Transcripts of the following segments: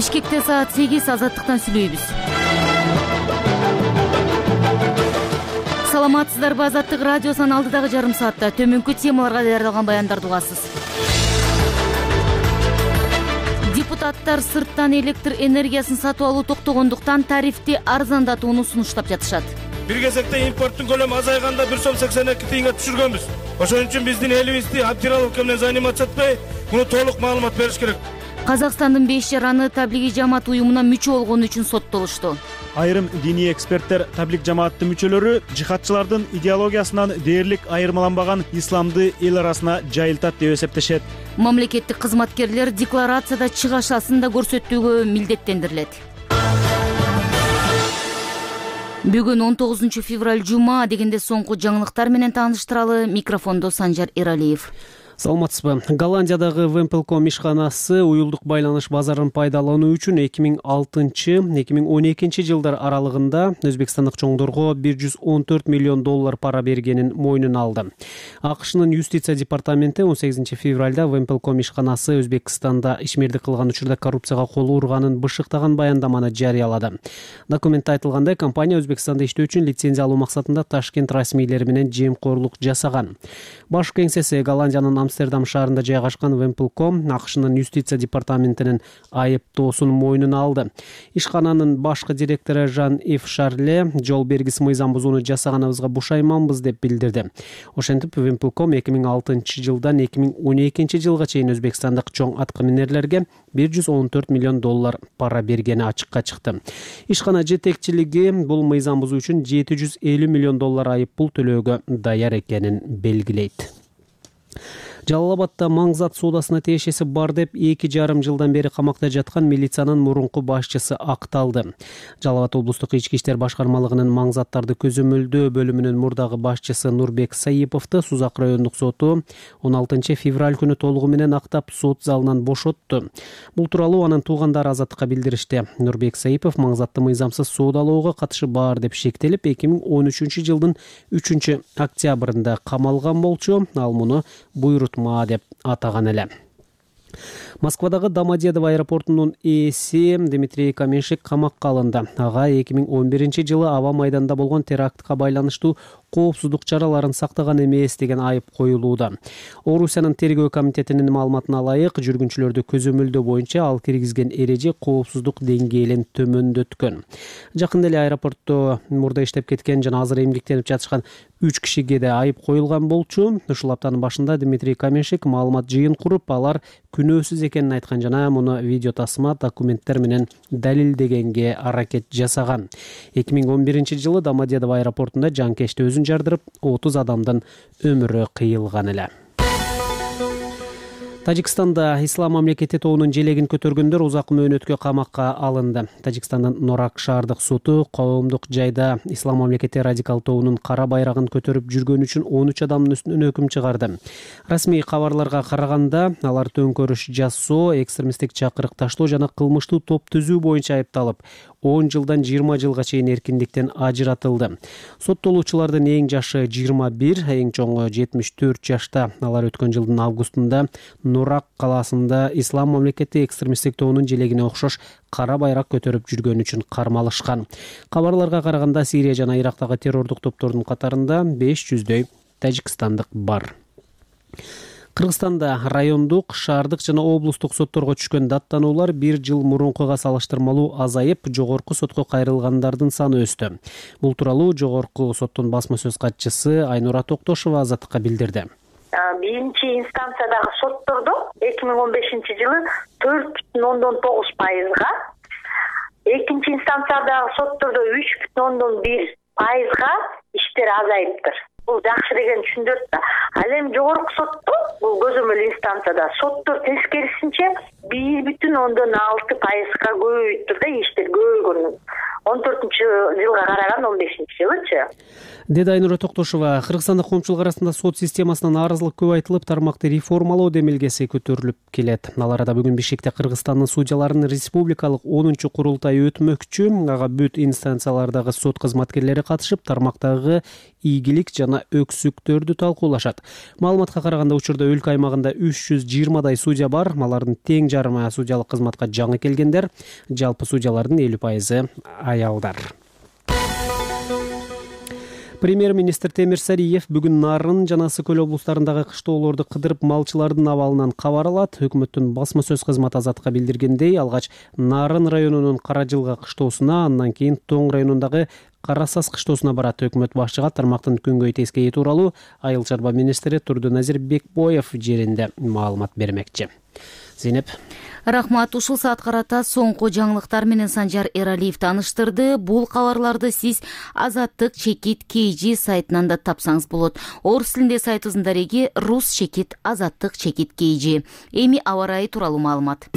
Бишкекте саат 8 азаттыктан сүйлөйбүз. Саламатсыздарбы? Азаттык радиосунун алдыдагы жарым саатта төмөнкү темаларга даярдалган баяндарды угасыз. Депутаттар сырттан электр энергиясын сатып алуу токтогондуктан тарифти арзандатууну сунуштап жатышат. Бир кезекте импорттун көлөмү азайганда 1,82 тыйынга түшүргөнбүз. Ошон үчүн биздин элибизди обдираловка менен заниматься этпей, муну толук маалымат бериш керек. Казакстандын 5 жараны таблиги жамаат уюмуна мүчө болгону үчүн соттолушту. Айрым диний эксперттер таблиг жамааттын мүчөлөрү жихадчылардын идеологиясынан дээрлик айырмаланбаган исламды эл арасына жайылтат деп эсептешет. Мамлекеттик кызматкерлер декларацияда чыгашасын да көрсөтүүгө милдеттендирилет. Бүгүн 19 февраль жума дегенде соңку жаңылыктар менен тааныштыралы. Микрофондо Санжар Эралиев. Саламатсызбы? Голландиядагы Вемпелком ишканасы уюлдук байланыш базарын пайдалануу үчүн 2006-2012 жылдар аралыгында өзбекстандык чоңдорго $114 миллион пара бергенин мойнуна алды. АКШнын юстиция департаменти 18 февралда Вемпелком ишканасы Өзбекстанда ишмердик кылган учурда коррупцияга кол урганын бышыктаган баяндаманы жарыялады. Документте айтылгандай, компания Өзбекстанда иштөө үчүн лицензия алуу максатында Ташкент расмийлери менен жемкорлук жасаган. Баш кеңсеси Голландиянын Амстердам шаарында жайгашкан Вемпелком АКШнын юстиция департаментинин айыптоосун мойнуна алды. Ишкананын башкы директору Жан-Ив Шарле жол бергис мыйзам бузууну жасаганыбызга бушайманбыз деп билдирди. Ошентип Вемпелком 2006 жылдан 2012 жылга чейин өзбекстандык чоң аткаминерлерге $114 миллион пара бергени ачыкка чыкты. Ишкана жетекчилиги бул мыйзам бузуу үчүн $750 миллион айып пул төлөөгө даяр экенин белгилейт. Жалал-Абадда Маңзат соодасына тиешеси бар деп 2,5 жылдан бери камакта жаткан милициянын мурунку башчысы акталды. Жалал-Абад облустук ички иштер башкармалыгынын Маңзаттарды көзөмөлдөө бөлүмүнүн мурдагы башчысы Нурбек Саиповду Сузак райондук соту 16 февраль күнү толугу менен актап сот залынан бошотту. Бул тууралуу анын туугандары Азаттыкка билдиришти. Нурбек Саипов Маңзатты мыйзамсыз соодалоого катышы бар деп шектелип 2013 жылдын 3 октябрында камалган болчу. Ал муну буйрутма деп атаган эле. Москвадагы Домодедово аэропортунун ээси Дмитрий Каменшик камакка алынды. Ага 2011 жылы аба майданда болгон терактка байланыштуу коопсуздук чараларын сактаган эмес деген айып коюлууда. Орусиянын тергөө комитетинин маалыматына ылайык, жүргүнчүлөрдү көзөмөлдөө боюнча ал киргизген эреже коопсуздук деңгээлин төмөндөткөн. Жакында эле аэропортто мурда иштеп кеткен жана азыр эмгектенип жатышкан 3 кишиге да айып коюлган болчу. Ушул аптанын башында Дмитрий Каменшик маалымат жыйын куруп, алар күнөөсүз экенин айткан жана муну видео тасма документтер менен далилдегенге аракет жасаган. 2011 жылы Домодедово аэропортунда жанкечти өзүн жардырып, 30 адамдын өмүрү кыйылган эле. Тажикстанда Ислам мамлекети тобунун желегин көтөргөндөр узак мөөнөткө камакка алынды. Тажикстандын Норак шаардык соту коомдук жайда Ислам мамлекети радикал тобунун кара байрагын көтөрүп жүргөн үчүн 13 адамдын үстүнөн өкүм чыгарды. Расмий кабарларга караганда, алар төңкөрүш жасоо, экстремисттик чакырык таштоо жана кылмыштуу топ түзүү боюнча айыпталып, 10 жылдан 20 жылга чейин эркиндиктен ажыратылды. Соттолуучулардын эң жашы 21, эң чоңу 74 жашта. Алар өткөн жылдын августунда Норак калаасында Ислам мамлекети экстремисттик тобунун желегине окшош кара байрак көтөрүп жүргөн үчүн кармалышкан. Кабарларга караганда, Сирия жана Ирактагы террордук топтордун катарында 500дөй тажикстандык бар. Кыргызстанда райондук, шаардык жана облустук сотторго түшкөн даттануулар 1 жыл мурункуга салыштырмалуу азайып, жогорку сотко кайрылгандардын саны өстү. Бул тууралуу жогорку соттун басма сөз катчысы Айнура Токтошова Азаттыкка билдирди. Биринчи инстанциядагы соттордо 2015 жылы 4,9%, экинчи инстанциядагы соттордо 3,1%га иштер азайыптыр. Бул жакшы деген түшүндүрөт да. Ал эми жогорку сотто, бул көзөмөл инстанцияда соттор тескерисинче 1,6%га көбөйүптүр да, иштер көбөйгөн. 14-жылга караган 15-жылычы. Деди Айнура Токтошова. Кыргызстанда коомчулук арасында сот системасына нааразылык көп айтылып, тармакты реформалоо демилгеси көтөрүлүп келет. Ал арада бүгүн Бишкекте Кыргызстандын судьяларынын республикалык 10-курултайы өтмөкчү. Ага бүт инстанциялардагы сот кызматкерлери катышып, тармактагы ийгилик жана өксүктөрдү талкуулашат. Маалыматка караганда, учурда өлкө аймагында 320дай судья бар. Алардын тең жарымы судьялык кызматка жаңы келгендер. Жалпы судьялардын 50% аялдар. Премьер-министр Темир Сариев бүгүн Нарын жана Ысык Көл облустарындагы кыштоолорду кыдырып, малчылардын абалынан кабар алат. Өкмөттүн басма сөз кызматы Азатка билдиргендей, алгач Нарын районунун Каражылга кыштоосуна, андан кийин Тоң районундагы Карасас кыштоосуна барат. Өкмөт башчыга тармактын күнгөй тескейи тууралуу Айыл чарба министри Турдуназир Бекбоев жеринде маалымат бермекчи. Зейнеп. Рахмат. Ушул саат карата соңку жаңылыктар менен Санжар Эралиев тааныштырды. Бул кабарларды сиз Азаттык чекит KG сайтынан да тапсаңыз болот. Орус тилинде сайтыбыздын дареги Рус чекит Азаттык чекит KG. Эми аба ырайы тууралуу маалымат.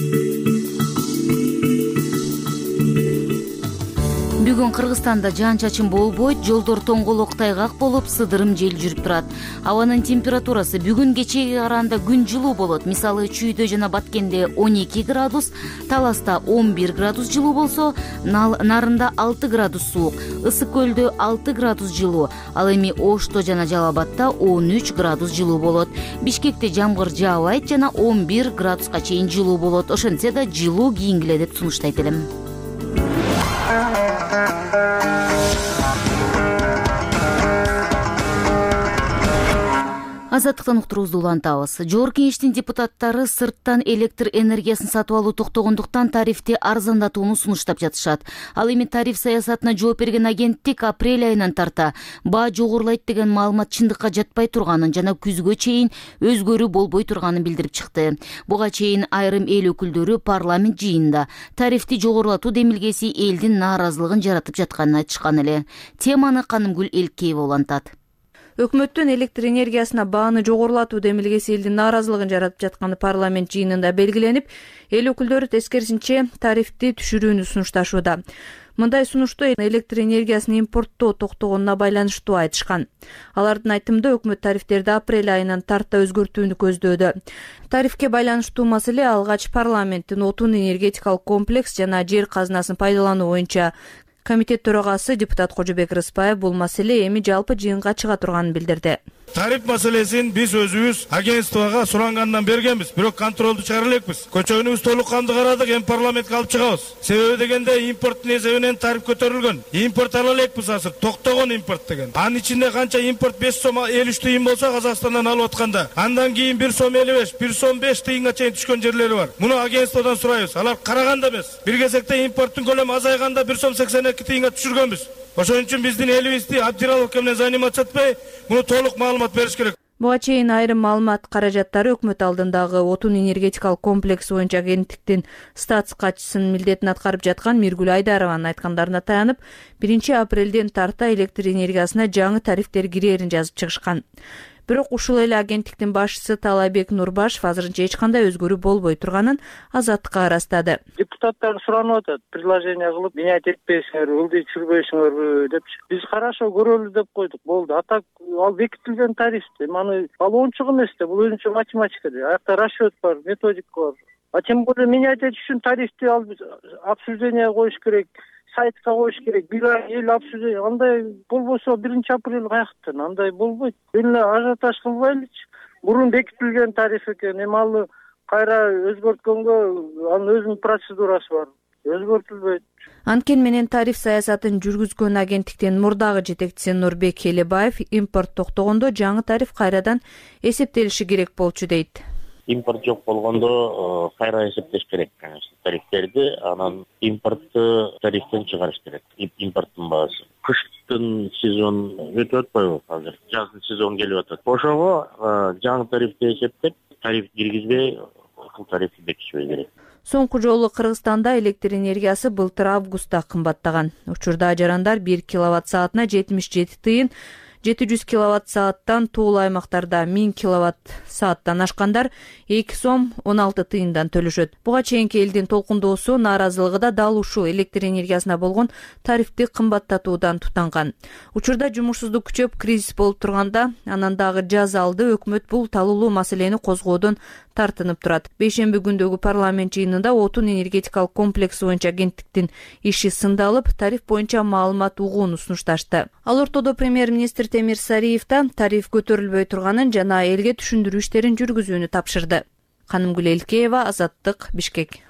Бүгүн Кыргызстанда жаан-чачын болбойт, жолдор тоңголок тайгак болуп, сыдырым жел жүрүп турат. Абанын температурасы бүгүн кечеге караганда күн жылуу болот. Мисалы, Чүйдө жана Баткенде 12 градус, Таласта 11 градус жылуу болсо, Нарында 6 градус суук, Ысык Көлдө 6 градус жылуу, ал эми Ошто жана Жалал Абадта 13 градус жылуу болот. Бишкекте жамгыр жаабайт жана 11 градуска чейин жылуу болот. Ошентсе да жылуу кийингиле деп сунуштайт элем. Азаттыктан уктуруубузду улантабыз. Жогорку Кеңештин депутаттары сырттан электр энергиясын сатып алуу токтогондуктан тарифти арзандатууну сунуштап жатышат. Ал эми тариф саясатына жооп берген агенттик апрель айынан тарта баа жогорулайт деген маалымат чындыкка жатпай турганын жана күзгө чейин өзгөрүү болбой турганын билдирип чыкты. Буга чейин айрым эл өкүлдөрү парламент жыйынында тарифти жогорулатуу демилгеси элдин нааразылыгын жаратып жатканын айтышкан эле. Теманы Канымгүл Элкеева улантат. Өкмөттүн электр энергиясына бааны жогорулатуу демилгеси элдин нааразылыгын жаратып жатканы парламент жыйынында белгиленип, эл өкүлдөрү тескерисинче тарифти түшүрүүнү сунушташууда. Мындай сунушту электр энергиясын импорттоо токтогонуна байланыштуу айтышкан. Алардын айтымында өкмөт тарифтерди апрель айынан тарта өзгөртүүнү көздөөдө. Тарифке байланыштуу маселе алгач парламенттин отун энергетикалык комплекс жана жер казынасын пайдалануу боюнча комитет төрагасы депутат Кожобек Рыспаев бул маселе эми жалпы жыйынга чыга турганын билдирди. Тариф маселесин биз өзүбүз агентствого сурангандан бергенбиз, бирок контролду чыгара элекпиз. Көчөгүнүбүз толук канды карадык, эми парламентке алып чыгабыз. Себеби дегенде импорттун эсебинен тариф көтөрүлгөн. Импорт ала элекпиз азыр, токтогон импорт деген. Анын ичинде канча импорт 5 сом 53 тыйын болсо Казакстандан алып атканда, андан кийин 1 сом 55, 1 сом 5 тыйынга чейин түшкөн жерлери бар. Муну агентстводон сурайбыз. Алар караганда эмес. Бир кезекте импорттун көлөмү азайганда 1 сом 82 тыйынга түшүргөнбүз. Ошон үчүн биздин элибизди Абдираловка менен заниматься этпей, муну толук маалымат бериш керек. Буга чейин айрым маалымат каражаттары өкмөт алдындагы отун энергетикалык комплекс боюнча агенттиктин статс катчысынын милдетин аткарып жаткан Миргүл Айдарованын айткандарына таянып, 1 апрелден тарта электр энергиясына жаңы тарифтер кирээрин жазып чыгышкан. Бирок ушул эле агенттиктин башчысы Талайбек Нурбашев азырынча эч кандай өзгөрүү болбой турганын Азаттыкка ырастады. Депутаттар суранып атат, предложение кылып, менять этпейсиңерби, ылдый түшүрбөйсүңөрбү деп. Биз карашо көрөлү деп койдук, болду. А так ал бекитилген тарифти, аны ал оңчук эмес да, бул өзүнчө математика. Аякта расчет бар, методика бар. А тем более менять этиш үчүн тарифти ал обсуждение коюш керек. Сайтка коюш керек, бир ай эл обсуждение, андай болбосо 1 апрель каяктан, андай болбойт. Эле ажиотаж кылбайлычы. Мурун бекитилген тариф экен, эми ал кайра өзгөрткөнгө анын өзүнүн процедурасы бар. Өзгөртүлбөйт. Анткени менен тариф саясатын жүргүзгөн агенттиктин мурдагы жетекчиси Нурбек Элебаев импорт токтогондо жаңы тариф кайрадан эсептелиши керек болчу дейт. Импорт жок болгондо кайра эсептеш керек, конечно, тарифтерди, анан импортту тарифтен чыгарыш керек. Импорттун баасы. Кыштын сезон өтүп атпайбы азыр? Жаздын сезон келип атат. Ошого жаңы тарифти эсептеп, тариф киргизбей, ушул тарифти бекитишибиз керек. Соңку жолу Кыргызстанда электр энергиясы былтыр августта кымбаттаган. Учурда жарандар 1 киловатт саатына 77 тыйын, 700 киловатт сааттан, тоолуу аймактарда 1000 киловатт сааттан ашкандар 2 сом 16 тыйындан төлөшөт. Буга чейинки элдин толкундоосу, нааразылыгы да дал ушул электр энергиясына болгон тарифти кымбаттатуудан тутанган. Учурда жумушсуздук күчөп, кризис болуп турганда, анан дагы жаз алды өкмөт бул талуулуу маселени козгоодон тартынып турат. Бейшемби күндөгү парламент жыйынында отун энергетикалык комплекси боюнча агенттиктин иши сындалып, тариф боюнча маалымат угууну сунушташты. Ал ортодо премьер-министр Темир Сариев да тариф көтөрүлбөй турганын жана элге түшүндүрүү иштерин жүргүзүүнү тапшырды. Канымгүл Элкеева, Азаттык, Бишкек.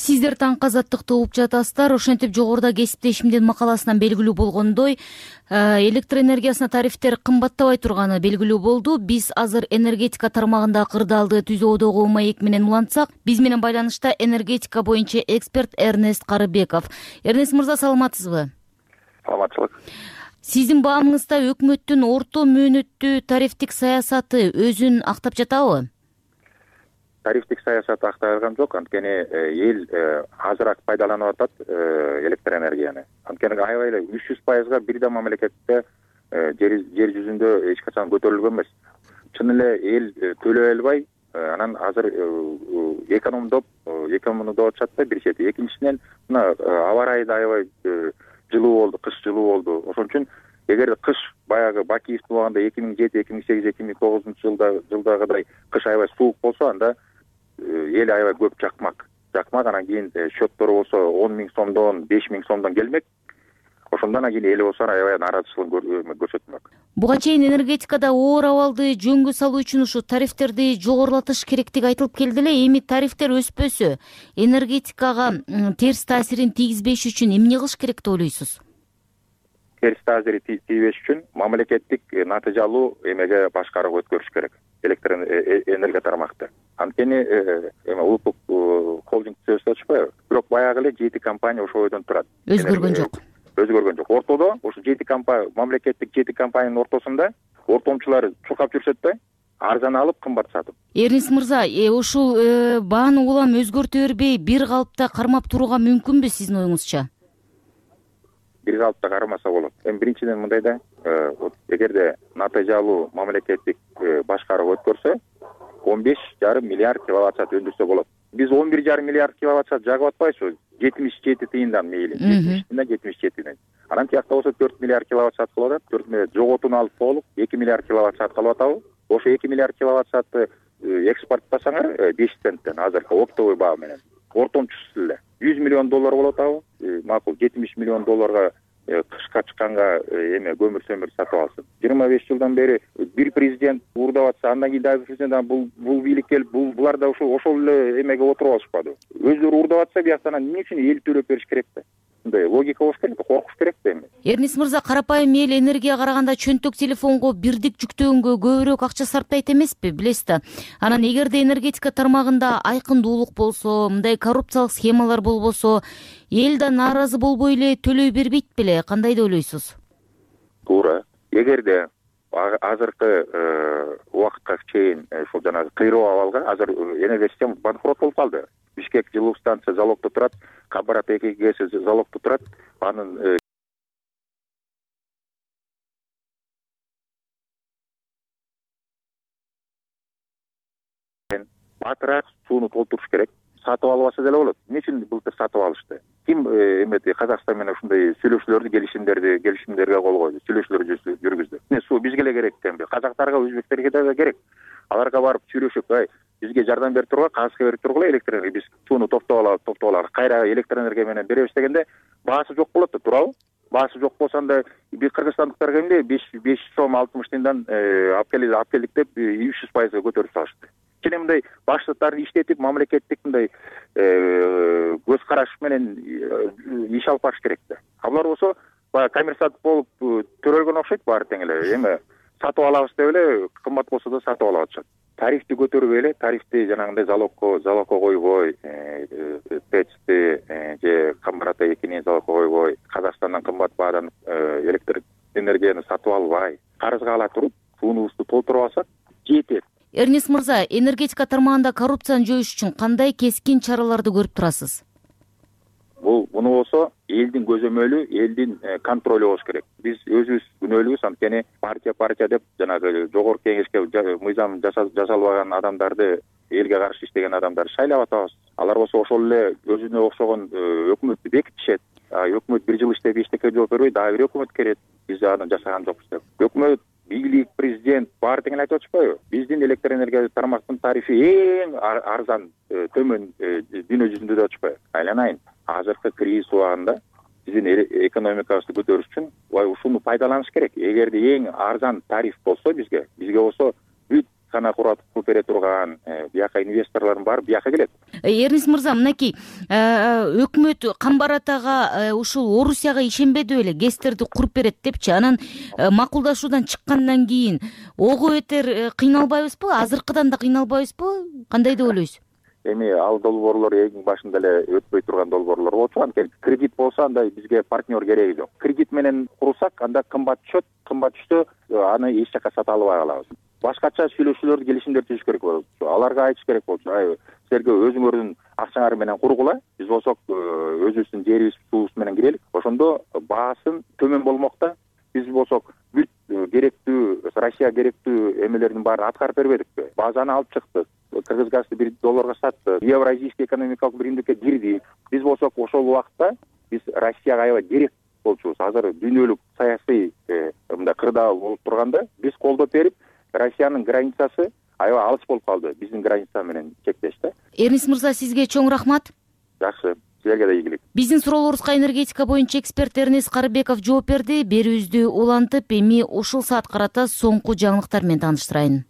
Сиздер таңкы Азаттыкты угуп жатасыздар. Ошентип жогоруда кесиптешимдин макаласынан белгилүү болгондой, электр энергиясына тарифтер кымбаттабай турганы белгилүү болду. Биз азыр энергетика тармагында кырдаалды түзүүдөгү маек менен улантсак, биз менен байланышта энергетика боюнча эксперт Эрнест Карыбеков. Эрнест мырза, саламатсызбы? Саламатчылык. Сиздин баамыңызда өкмөттүн орто мөөнөттүү тарифтик саясаты өзүн актап жатабы? Тарифтик саясат актай алган жок, анткени эл азыраак пайдаланып атат электр энергияны. Анткени аябай эле 300%га бирдей мамлекетте жер жүзүндө эч качан көтөрүлгөн эмес. Чын эле эл төлөй албай, анан азыр экономдоп атышат да бир чети. Экинчисинен мына аба ырайы да аябай жылуу болду, кыш жылуу болду. Ошон үчүн эгер кыш баягы Бакиевдин убагында 2007, 2008, 2009 жылдагыдай кыш аябай суук болсо, анда эл аябай көп жакмак. Анан кийин счеттору болсо 10 000 сомдон, 5 000 сомдон келмек. Ошондон кийин эл болсо аябай нааразычылыгын көрсөтмөк. Буга чейин энергетикада оор абалды жөнгө салуу үчүн ушу тарифтерди жогорулатыш керектиги айтылып келди эле. Эми тарифтер өспөсө, энергетикага терс таасирин тийгизбеш үчүн эмне кылыш керек деп ойлойсуз? Терс таасири тийбеш үчүн мамлекеттик натыйжалуу эмеге башкаруу өткөрүш керек электр энергия тармакты. Анткени улуттук холдинг түзөсү ачпайбы? Бирок баягы эле 7 компания ошол ойдон турат. Өзгөргөн жок. Ортодо ошо 7 компания, мамлекеттик 7 компаниянын ортосунда ортомчулар чуркап жүрсөт да, арзан алып, кымбат сатып. Эрнест мырза, ушул бааны улам өзгөртө бербей, бир калыпта кармап турууга мүмкүнбү сиздин оюңузча? Бир калыпта кармаса болот. Биринчиден мындай да, эгерде натыйжалуу мамлекеттик башкаруу өткөрсө, 15,5 миллиард киловатт саат өндүрсө болот. Биз 11,5 миллиард киловатт саат жагып атпайбызбы? 77 тыйындан мейли. 77 тыйындан. Анан тиякта болсо 4 миллиард киловатт саат кылып атат. 4 миллиард жоготууну алып толук 2 миллиард киловатт саат кылып атабы? Ошо 2 миллиард киловатт саатты экспорттасаңар 5 центтен азыркы оптовый баа менен. Ортомчусу эле $100 миллион болот абы. Макул $70 миллион кышка чыкканга көмүр сөмүр сатып алсын. 25 жылдан бери бир президент уурдап атса, андан кийин дагы президент бул бийлик келип, булар да ошол эле эмеге отуруп алышпады. Өздөрү уурдап атса, бияктан эмне үчүн эл төлөп бериш керек да? Мындай логика болуш керек, коркуш керек да эми. Эрнест мырза, карапайым эл энергияга караганда чөнтөк телефонго бирдик жүктөгөнгө көбүрөөк акча сарптайт эмеспи, билесиз да. Анан эгерде энергетика тармагында айкындуулук болсо, мындай коррупциялык схемалар болбосо, эл да нааразы болбой эле төлөй бербейт беле? Кандай деп ойлойсуз? Туура. Эгерде азыркы убакытка чейин ушул жанагы кыйроо абалга, азыр энергия система банкрот болуп калды. Бишкек жылуу станция залогдо турат, Кабарат 2 ГЭС залогдо турат. Анын батыраак сууну толтуруш керек. Сатып албаса деле болот. Эмне үчүн былтыр сатып алышты? Ким Казакстан менен ушундай сүйлөшүүлөрдү, келишимдерге кол койду, сүйлөшүүлөр жүргүздү. Суу бизге эле керек экенби? Казактарга, өзбектерге да керек. Аларга барып сүйлөшүп, бизге жардам берип тургула, кагазга берип тургула, электр энергия биз сууну токтоп алалы, кайра электр энергия менен беребиз дегенде баасы жок болот да, туурабы? Баасы жок болсо анда биз кыргызстандыктарга эмне 5 сом 60 тыйындан алып келдик деп 300%га көтөрүп салышты. Кene мындай баштыктарды иштетип, мамлекеттик мындай көз караш менен иш алып барыш керек да. Алар болсо баягы коммерсант болуп төрөлгөн окшойт баары тең эле. Эми сатып алабыз деп эле, кымбат болсо да сатып алып атышат. Тарифти көтөрбөй эле, тарифти жанагындай залогко койбой, ТЭЦти же Камбарата 2-ни залогко койбой, Казакстандан кымбат баадан электр энергияны сатып албай, карызга ала туруп, суунубузду толтуруп алсак жетет. Эрнест мырза, энергетика тармагында коррупцияны жоюш үчүн кандай кескин чараларды көрүп турасыз? Буну болсо элдин көзөмөлү, элдин контролу болуш керек. Биз өзүбүз күнөөлүүбүз, анткени партия деп жанагы жогорку кеңешке мыйзам жасалбаган адамдарды, элге каршы иштеген адамдарды шайлап атабыз. Алар болсо ошол эле өзүнө окшогон өкмөттү бекитишет. Өкмөт бир жыл иштеп эчтеке жооп бербей, дагы бир өкмөт келет. Биз аны жасаган жокпуз деп. Өкмөт, бийлик, президент баары тең эле айтып атышпайбы? Биздин электр энергия тармактын тарифи эң арзан, төмөн дүйнө жүзүндө деп атышпайбы? Айланайын. Азыркы кризис убагында биздин экономикабызды көтөрүш үчүн ушуну пайдаланыш керек. Эгерде эң арзан тариф болсо бизге болсо бүт кана куруп бере турган бияка инвесторлордун баары бияка келет. Эрнест мырза, мынакей өкмөт Камбарат ага ушул Орусияга ишенбеди беле, ГЭСтерди куруп берет депчи. Анан макулдашуудан чыккандан кийин ого бетер кыйналбайбызбы? Азыркыдан да кыйналбайбызбы? Кандай деп ойлойсуз? Эми ал долбоорлор эң башында эле өтпөй турган долбоорлор болчу. Анткени кредит болсо андай бизге партнер кереги жок. Кредит менен курсак, анда кымбат түшсө аны эч жака сата албай калабыз. Башкача сүйлөшүүлөрдү, келишимдерди түзүш керек болчу. Аларга айтыш керек болчу. Силерге өзүңөрдүн акчаңар менен кургула, биз болсок өзүбүздүн жерибиз, суубуз менен кирелик. Ошондо баасын төмөн болмок да. Биз болсок бүт керектүү, Россия керектүү эмелердин баарын аткарып бербедикпи? Базаны алып чыктык. Кыргыз газды $1 сатты. Евразийский экономикалык биримдикке кирди. Биз болсок ошол убакта биз Россияга аябай керек болчубуз. Азыр дүйнөлүк саясий мындай кырдаал болуп турганда биз колдоп берип, Россиянын границасы аябай алыс болуп калды. Биздин граница менен чектеш да. Эрнест мырза, сизге чоң рахмат. Жакшы. Силерге да ийгилик. Биздин суроолорубузга энергетика боюнча эксперт Эрнест Карыбеков жооп берди. Берүүбүздү улантып, эми ушул саат карата соңку жаңылыктар менен тааныштырайын.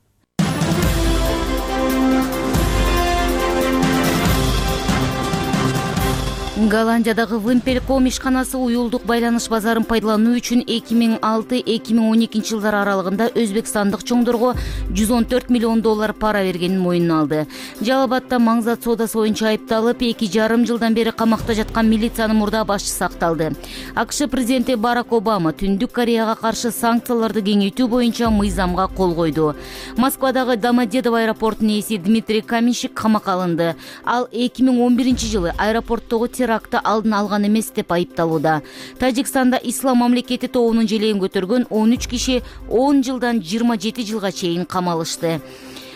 Голландиядагы Wimpel.com ишканасы уюлдук байланыш базарын пайдалануу үчүн 2006-2012 жылдар аралыгында өзбекстандык чоңдорго $114 миллион пара бергенин мойнуна алды. Жалал Абадда маңзат соодасы боюнча айыпталып, 2,5 жылдан бери камакта жаткан милициянын мурда башчысы акталды. АКШ президенти Барак Обама Түндүк Кореяга каршы санкцияларды кеңейтүү боюнча мыйзамга кол койду. Москвадагы Домодедово аэропортунун ээси Дмитрий Каменщик камакка алынды. Ал 2011 жылы аэропорттогу теракты алдын алган эмес деп айыпталууда. Тажикстанда Ислам мамлекети тобунун желегин көтөргөн 13 киши 10 жылдан 27 жылга чейин камалышты.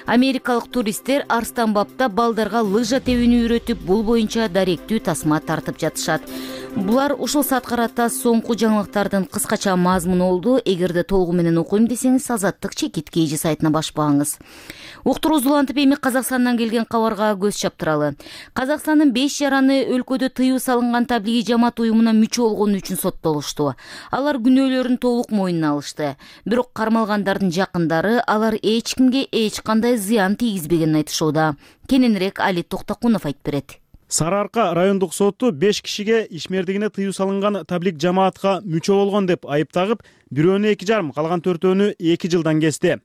Америкалык туристтер Арстанбабда балдарга лыжа тебүүнү үйрөтүп, бул боюнча даректүү тасма тартып жатышат. Булар ушул саат карата соңку жаңылыктардын кыскача мазмуну болду. Эгерде толугу менен окуйм десеңиз, Азаттык чекит KG сайтына башпаңыз. Уктуруубузду улантып, эми Казакстандан келген кабарга көз чаптыралы. Казакстандын 5 жараны өлкөдө тыюу салынган таблиги жамаат уюмуна мүчө болгону үчүн соттолушту. Алар күнөөлөрүн толук мойнуна алышты. Бирок кармалгандардын жакындары алар эч кимге эч кандай зыян тийгизбегенин айтышууда. Кененирээк Али Токтокунов айтып берет. Сары Арка райондук соту 5 кишиге ишмердигине тыюу салынган таблик жамаатка мүчө болгон деп айыптагып, бирөөнү 2,5, калган 4-өөнү 2 жылдан кести.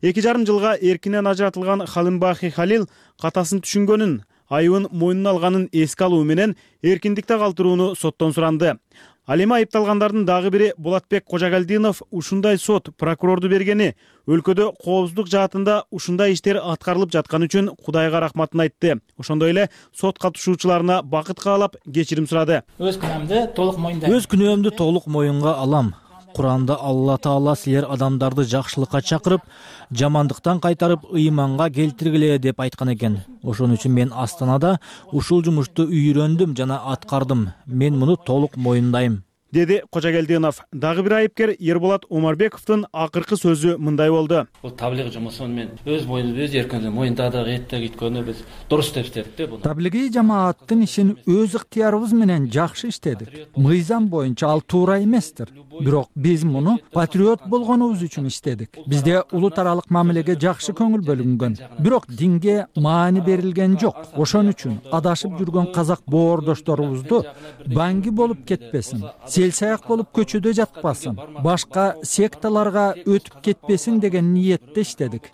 2,5 жылга эркинен ажыратылган Халимбахи Халил катасын түшүнгөнүн, айыбын мойнуна алганын эске алуу менен эркиндикте калтырууну соттон суранды. Ал эми айыпталгандардын дагы бири Болотбек Кожогалдинов ушундай сот прокурорду бергени, өлкөдө коопсуздук жаатында ушундай иштер аткарылып жатканы үчүн Кудайга рахматын айтты. Ошондой эле сот катышуучуларына бакыт каалап кечирим сурады. Өз күнөөмдү толук моюнга алам. Куранда Алла Таала силер адамдарды жакшылыкка чакырып, жамандыктан кайтарып ыйманга келтиргиле деп айткан экен. Ошон үчүн мен Астанада ушул жумушту үйрөндүм жана аткардым. Мен муну толук моюндайм, деди Кожогалдинов. Дагы бир айыпкер Ерболат Омарбековдун акыркы сөзү мындай болду. Бул таблиг жумусун мен өз моюнумда, өз эркимде моюндадык, эттек иткөнү биз дурус деп иштедик да буну. Таблиги жамааттын ишин өз ыктыярыбыз менен жакшы иштедик. Мыйзам боюнча ал туура эместир. Бирок биз муну патриот болгонубуз үчүн иштедик. Бизде улут аралык мамилеге жакшы көңүл бөлүнгөн. Бирок динге маани берилген жок. Ошон үчүн адашып жүргөн казак боордошторубузду банги болуп кетпесин, селсаяк болуп көчөдө жатпасын, башка секталарга өтүп кетпесин деген ниетте иштедик.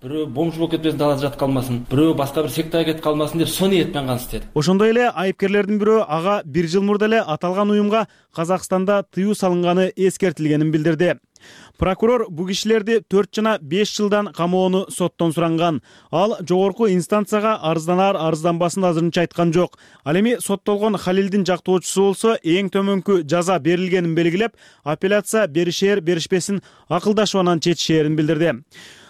бирөө бомж болуп кетпесин, далада жатып калмасын, бирөө башка бир сектага кетип калмасын деп сол ниет менен гана иштеди. Ошондой эле айыпкерлердин бирөө ага 1 жыл мурда эле аталган уюмга Казакстанда тыюу салынганы эскертилгенин билдирди. Прокурор бу кишилерди 4 жана 5 жылдан камоону соттон суранган. Ал жогорку инстанцияга арызданаар арызданбасын азырынча айткан жок. Ал эми соттолгон Халилдин жактоочусу болсо эң төмөнкү жаза берилгенин белгилеп, апелляция беришер беришпесин акылдашып анан чечишээрин билдирди.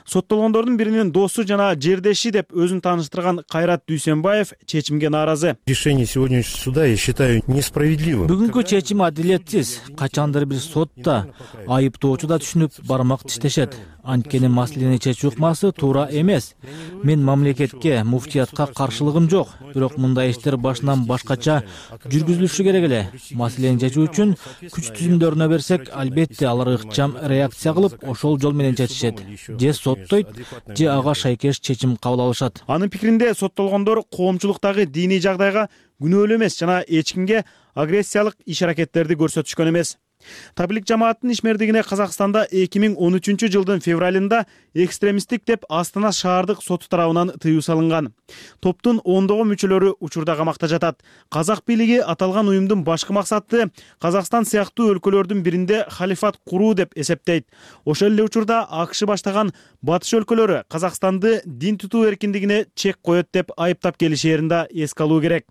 Соттолгондордун биринин досу жана жердеши деп өзүн тааныштырган Кайрат Дүйсенбаев чечимге нааразы. Решение сегодняшнего суда я считаю несправедливым. Бүгүнкү чечим адилетсиз. Качандыр бир сотта айыптоочу да түшүнүп бармак тиштешет. Анткени маселени чечүү ыкмасы туура эмес. Мен мамлекетке, муфтиятка каршылыгым жок, бирок мындай иштер башынан башкача жүргүзүлүшү керек эле. Маселени чечүү үчүн күч түзүмдөрүнө берсек, албетте алар ыкчам реакция кылып, ошол жол менен чечишет. Же соттойт, же ага шайкеш чечим кабыл алышат. Анын пикиринде соттолгондор коомчулуктагы диний жагдайга күнөөлүү эмес жана эч кимге агрессиялык иш-аракеттерди көрсөтүшкөн эмес. Таблик жамааттын ишмердигине Казакстанда 2013 жылдын февралында экстремисттик деп Астана шаардык соту тарабынан тыюу салынган. Топтун ондогон мүчөлөрү учурда камакта жатат. Казак бийлиги аталган уюмдун башкы максаты Казакстан сыяктуу өлкөлөрдүн биринде халифат куруу деп эсептейт. Ошол эле учурда АКШ баштаган батыш өлкөлөрү Казакстанды дин тутуу эркиндигине чек коет деп айыптап келишээрин да эске алуу керек.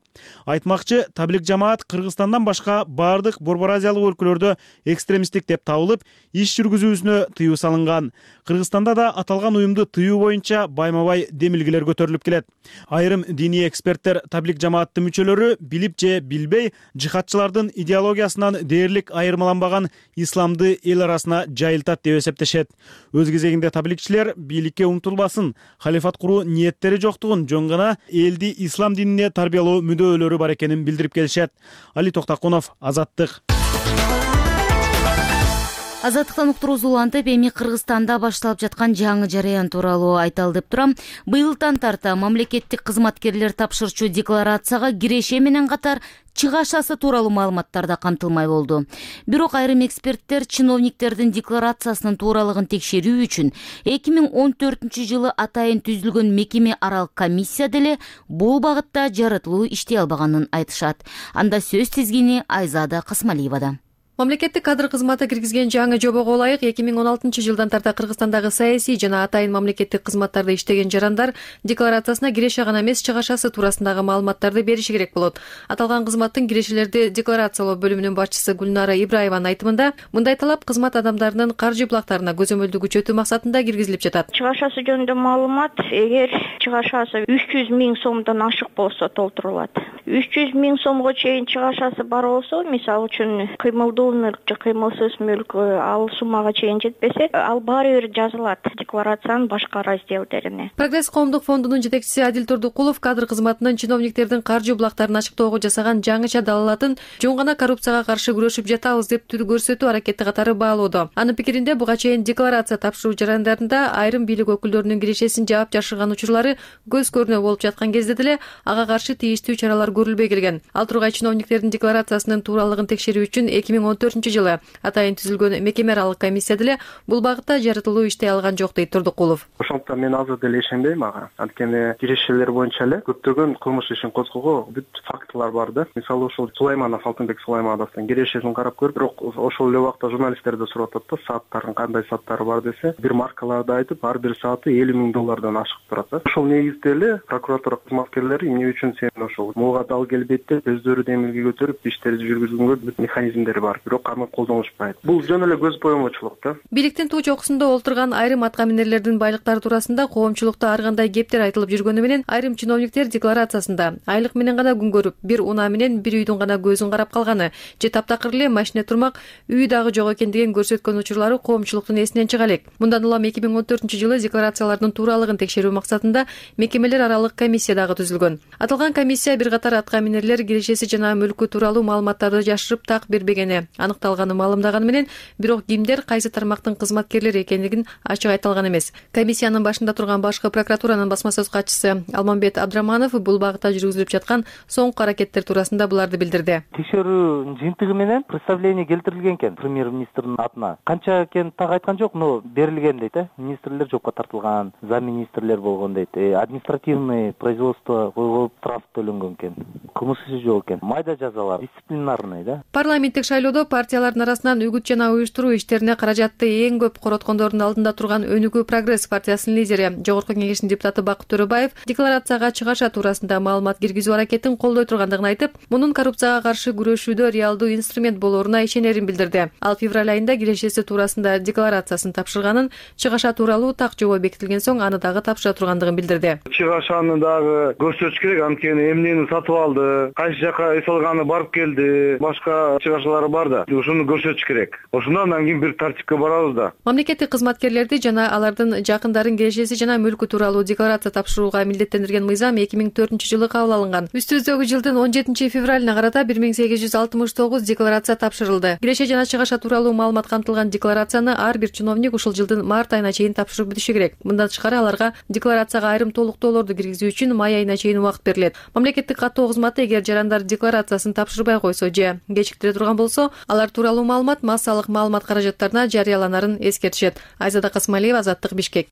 Айтмакчы, таблик жамаат Кыргызстандан башка бардык Борбор Азиялык өлкөлөрдө экстремисттик деп табылып, иш жүргүзүүсүнө тыюу салынган. Кыргызстанда да аталган уюмду тыюу боюнча байма-бай демилгелер көтөрүлүп келет. Айрым диний эксперттер таблик жамааттын мүчөлөрү билип же билбей жихадчылардын идеологиясынан дээрлик айырмаланбаган исламды эл арасына жайылтат деп эсептешет. Өз кезегинде табликчилер бийликке умтулбасын, халифат куруу ниеттери жоктугун, жөн гана элди ислам динине тарбиялоо мүддөөлөрү бар экенин билдирип келишет. Али Токтакунов, Азаттык. Азаттыктан уктуруусу улантып, эми Кыргызстанда башталып жаткан жаңы жараян тууралуу айталы деп турам. Быйылдан тарта мамлекеттик кызматкерлер тапшырчу декларацияга киреше менен катар чыгашасы тууралуу маалыматтар да камтылмай болду. Бирок айрым эксперттер чиновниктердин декларациясынын тууралыгын текшерүү үчүн 2014 жылы атайын түзүлгөн мекеме аралык комиссия деле бул багытта жаратылуу иштей албаганын айтышат. Анда сөз тизгини Айзада Касмалиевада. Мамлекеттик кадр кызматы киргизген жаңы жобого ылайык 2016 жылдан тарта Кыргызстандагы саясий жана атайын мамлекеттик кызматтарда иштеген жарандар декларациясына киреше гана эмес, чыгашасы туурасындагы маалыматтарды бериши керек болот. Аталган кызматтын кирешелерди декларациялоо бөлүмүнүн башчысы Гүлнара Ибраеванын айтымында, мындай талап кызмат адамдарынын каржы булактарына көзөмөлдү күчөтүү максатында киргизилип жатат. Чыгашасы жөнүндө маалымат, эгер чыгашасы 300 000 сомдон ашык болсо толтурулат. 300 000 сомго чейин чыгашасы бар болсо, мисалы үчүн кыймылдуу мүлк же кыймылсыз мүлк ал суммага чейин жетпесе, ал баары бир жазылат декларациянын башка разделдерине. Прогресс коомдук фондунун жетекчиси Адил Турдукулов кадр кызматынын чиновниктердин каржы булактарын ачыктоого жасаган жаңыча далалатын жөн гана коррупцияга каршы күрөшүп жатабыз деп түр көрсөтүү аракети катары баалоодо. Анын пикиринде, буга чейин декларация тапшыруу жарандарында айрым бийлик өкүлдөрүнүн кирешесин жаап жашырган учурлары көз көрүнө болуп жаткан кезде деле ага каршы тийиштүү чаралар көрүлбөй келген. Ал тургай чиновниктердин декларациясынын тууралыгын текшерүү үчүн 2014 жылы атайын түзүлгөн мекеме аралык комиссия деле бул багытта жаратылуу иштей алган жок дейт Турдукулов. Ошондуктан мен азыр деле ишенбейм ага. Анткени кирешелер боюнча эле көптөгөн кылмыш ишин козгоого бүт фактылар бар да. Мисалы ошол Сулайманов, Алтынбек Сулаймановдун кирешесин карап көрүп, бирок ошол эле убакта журналисттер да сурап атат да, сааттардын кандай сааттары бар десе, бир маркаларды айтып, ар бир сааты $50 000 ашык турат да. Ошол негизде эле прокуратура кызматкерлери эмне үчүн сен ошол муга дал келбейт деп өздөрү демилге көтөрүп иштерди жүргүзгөнгө бүт механизмдери бар, бирок аны колдонушпайт. Бул жөн эле көз боомочулук да. Бийликтин туу чокусунда олтурган айрым аткаминерлердин байлыктары туурасында коомчулукта ар кандай кептер айтылып жүргөнү менен айрым чиновниктер декларациясында айлык менен гана күн көрүп, бир унаа менен бир үйдүн гана көзүн карап калганы же таптакыр эле машине турмак үй дагы жок экендигин көрсөткөн учурлары коомчулуктун эсинен чыга элек. Мындан улам 2014 жылы декларациялардын тууралыгын текшерүү максатында мекемелер аралык комиссия дагы түзүлгөн. Аталган комиссия бир катар аткаминерлер кирешеси жана мүлкү тууралуу маалыматтарды жашырып так бербегени, аныкталганы маалымдаганы менен, бирок кимдер кайсы тармактын кызматкерлери экендигин ачык айта алган эмес. Комиссиянын башында турган башкы прокуратуранын басма сөз катчысы Алмамбет Абдраманов бул багытта жүргүзүлүп жаткан соңку аракеттер туурасында буларды билдирди. Текшерүү жыйынтыгы менен представление келтирилген экен премьер-министрдин атына. Канча экенин так айткан жок, но берилген дейт, министрлер жокко тартылган, замминистрлер болгон дейт. Административный производство коюлуп, штраф төлөнгөн экен. Кылмыш иши жок экен. Майда жазалар, дисциплинарный, да. Парламенттик шайлоодо партиялардын арасынан үгүт жана уюштуруу иштерине каражатты эң көп короткондордун алдында турган Өнүгүү Прогресс партиясынын лидери, Жогорку Кеңештин депутаты Бакыт Төрөбаев декларацияга чыгаша туурасында маалымат киргизүү аракетин колдой тургандыгын айтып, мунун коррупцияга каршы күрөшүүдө реалдуу инструмент болоруна ишенерин билдирди. Ал февраль айында кирешеси туурасында декларациясын тапшырганын, чыгаша тууралуу так жобо бекитилген соң аны дагы тапшыра тургандыгын билдирди. Чыгашаны дагы көрсөтүш керек, анткени эмнени сатып алды, кайсы жака эс алганы барып келди, башка чыгашалары бар да. Ушуну көрсөтүш керек. Ошондон кийин бир тартипке барабыз да. Мамлекеттик кызматкерлерди жана алардын жакындарын кирешеси жана мүлкү тууралуу декларация тапшырууга милдеттендирген мыйзам 2004-жылы кабыл алынган. Үстүбүздөгү жылдын 17 февралына карата 1869 декларация тапшырылды. Киреше жана чыгаша тууралуу маалымат камтылган декларацияны ар бир чиновник ушул жылдын март айына чейин тапшырып бүтүшү керек. Мындан тышкары аларга декларацияга айрым толуктоолорду киргизүү үчүн май айына чейин убакыт берилет. Мамлекеттик каттоо кызматы эгер жарандар декларациясын тапшырбай койсо же кечиктире турган болсо, алар тууралуу маалымат массалык маалымат каражаттарына жарыяланарын эскертишет. Айзада Касмалиева, Азаттык, Бишкек.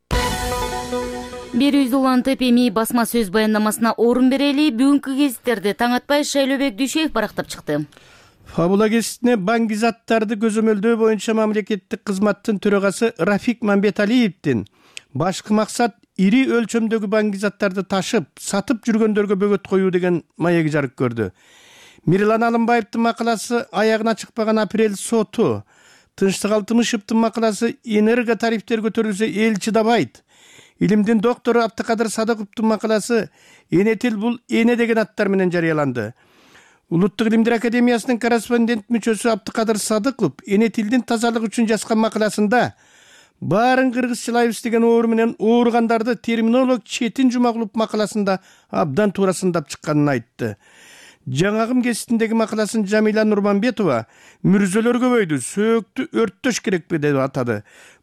Берүүбүз улантып, эми басма сөз баяндамасына орун берели. Бүгүнкү гезиттерди таң атпай Шайлообек Дүйшеев барактап чыкты. Фабула гезитине баңгизаттарды көзөмөлдөө боюнча мамлекеттик кызматтын төрагасы Рафик Мамбеталиевдин башкы максат ири өлчөмдөгү баңгизаттарды ташып, сатып жүргөндөргө бөгөт коюу деген маеги жарык көрдү. Мирлан Алымбаевдин макаласы аягына чыкпаган апрель соту, Тынчтык Алтымышевдин макаласы энерго тарифтер көтөрүлсө эл чыдабайт, Илимдин доктору Абдыкадыр Садыковдун макаласы Энетил бул эне деген аттар менен жарыяланды. Улуттук илимдер академиясынын корреспондент мүчөсү Абдыкадыр Садыков Энетилдин тазалык үчүн жазган макаласында баарын кыргызчылайбыз деген оор менен ооругандарды терминолог Четин Жумагулов макаласында абдан туура сындап чыкканын айтты. Жаңагым гезитиндеги макаласын Жамиля Нурманбетова мүрзөлөр көбөйдү, сөөктү өрттөш керекпи деп атады.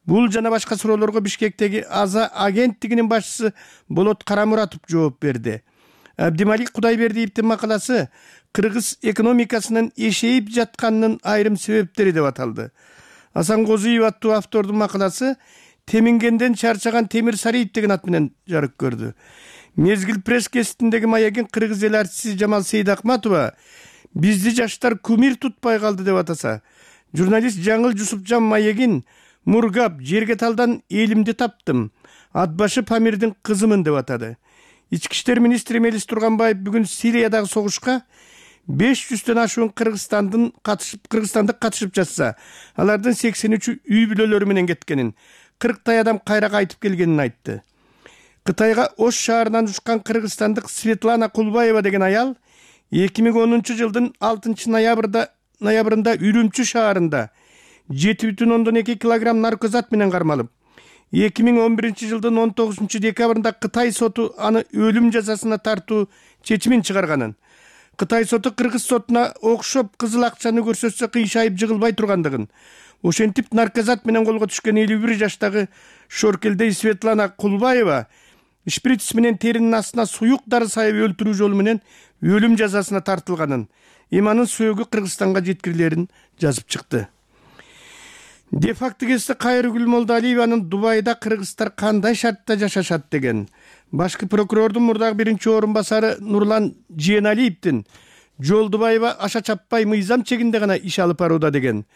Бул жана башка суроолорго Бишкектеги АЗА агенттигинин башчысы Болот Карамуратов жооп берди. Абдималик Кудайбердиевдин макаласы кыргыз экономикасынын эшейип жатканынын айрым себептери деп аталды. Асан Козуев аттуу автордун макаласы Темингенден чарчаган Темир Сариев деген ат менен жарык көрдү. Мезгил пресс гезитиндеги маегин кыргыз эл артисти Жамал Сейдакматова бизди жаштар кумир тутпай калды деп атаса, журналист Жаңыл Жусупжан маегин мургап жерге талдан элимди таптым, атбашы Памирдин кызымын деп атады. Ички иштер министри Мелис Турганбаев бүгүн Сириядагы согушка 500дөн ашуун кыргызстандык катышып жатса, алардын 83-ü үй бүлөлөрү менен кеткенин, 40 адам кайра кайтып келгенин айтты. Кытайга Ош шаарынан учкан кыргызстандык Светлана Кулбаева деген аял 2010-жылдын 6 ноябрында Үрүмчү шаарында 7,2 килограмм наркозат менен кармалып, 2011-жылдын 19 декабрында Кытай соту аны өлүм жазасына тартуу чечимин чыгарганын, Кытай соту кыргыз сотуна окшоп кызыл акчаны көрсөтсө кыйшайып жыгылбай тургандыгын, ошентип наркозат менен колго түшкөн 51 жаштагы Шоркелдей Светлана Кулбаева шприц менен теринин астына суюк дары сайып өлтүрүү жолу менен өлүм жазасына тартылганын, иманын сөөгү Кыргызстанга жеткирилерин жазып чыкты. Де-факто гезити Кайрыгүл Молдоалиеванын Дубайда кыргыздар кандай шартта жашашат деген, башкы прокурордун мурдагы биринчи орун басары Нурлан Жээналиевдин Жолдубаева аша чаппай мыйзам чегинде гана иш алып барууда деген,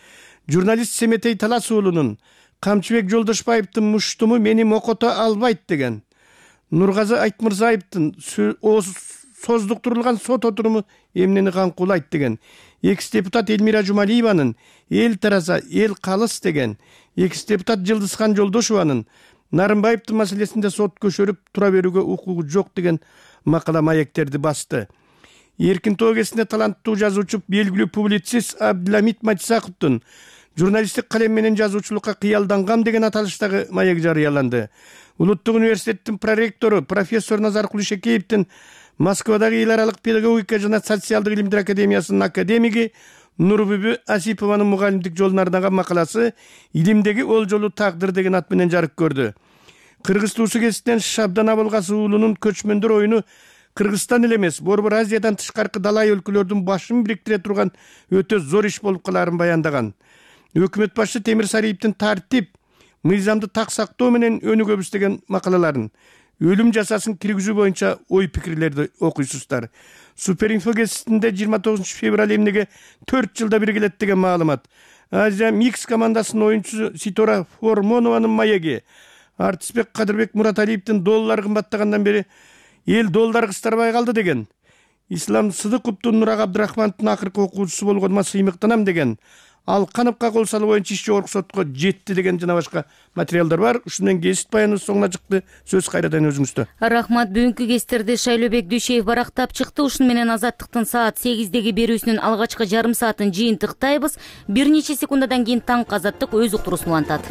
журналист Семетей Талас уулунун Камчыбек Жолдошбаевдин муштуму мени мокото албайт деген, Нургазы Айтмырзаевдин создуктурулган сот отуруму эмнени каңкуулайт деген, экс-депутат Элмира Жумалиеванын эл тараза, эл калыс деген, экс-депутат Жылдызхан Жолдошованын Нарымбаевдин маселесинде сот көчөрүп тура берүүгө укугу жок деген макала маектерди басты. Эркин тоо гезитине таланттуу жазуучу, белгилүү публицист Абдыламит Матисаковдун журналисттик калем менен жазуучулукка кыялдангам деген аталыштагы маек жарыяланды. Улуттук университеттин проректору профессор Назар Кулишекеевдин Москвадагы эл аралык педагогика жана социалдык илимдер академиясынын академиги Нурбүбү Асипованын мугалимдик жолуна арнаган макаласы «Илимдеги олжолуу тагдыр» деген ат менен жарык көрдү. Кыргыз туусу кесиптен Шабдан Абылгасы уулунун көчмөндөр оюну Кыргызстан эле эмес, борбор Азиядан тышкаркы далай өлкөлөрдүн башын бириктире турган өтө зор иш болуп калаарын баяндаган. Өкмөт башчы Темир Сариевдин тартип, мыйзамды так сактоо менен өнүгөбүз деген макалаларын, өлүм жазасын киргизүү боюнча ой пикирлерди окуйсуздар. Суперинфо гезитинде 29 февраль эмнеге 4 жылда бир келет деген маалымат. Азия Микс командасынын оюнчусу Ситора Формонованын маеги, Артисбек Кадырбек Мураталиевдин доллар кымбаттагандан бери эл доллар кыстарбай калды деген. Ислам Сыдыковдун Нурак Абдрахмановдун акыркы окуучусу болгоныма сыймыктанам деген. Алкановго кол салуу боюнча иш жогорку сотко жетти деген жана башка материалдар бар. Ушундан кесип баяныбыз соңуна чыкты. Сөз кайрадан өзүңүздө. Рахмат. Бүгүнкү кестерди Шайлообек Дүйшеев барактап чыкты. Ушуну менен Азаттыктын саат 8деги берүүсүнүн алгачкы жарым саатын жыйынтыктайбыз. Бир нече секундадан кийин таңкы Азаттык өз уктуруусун улантат.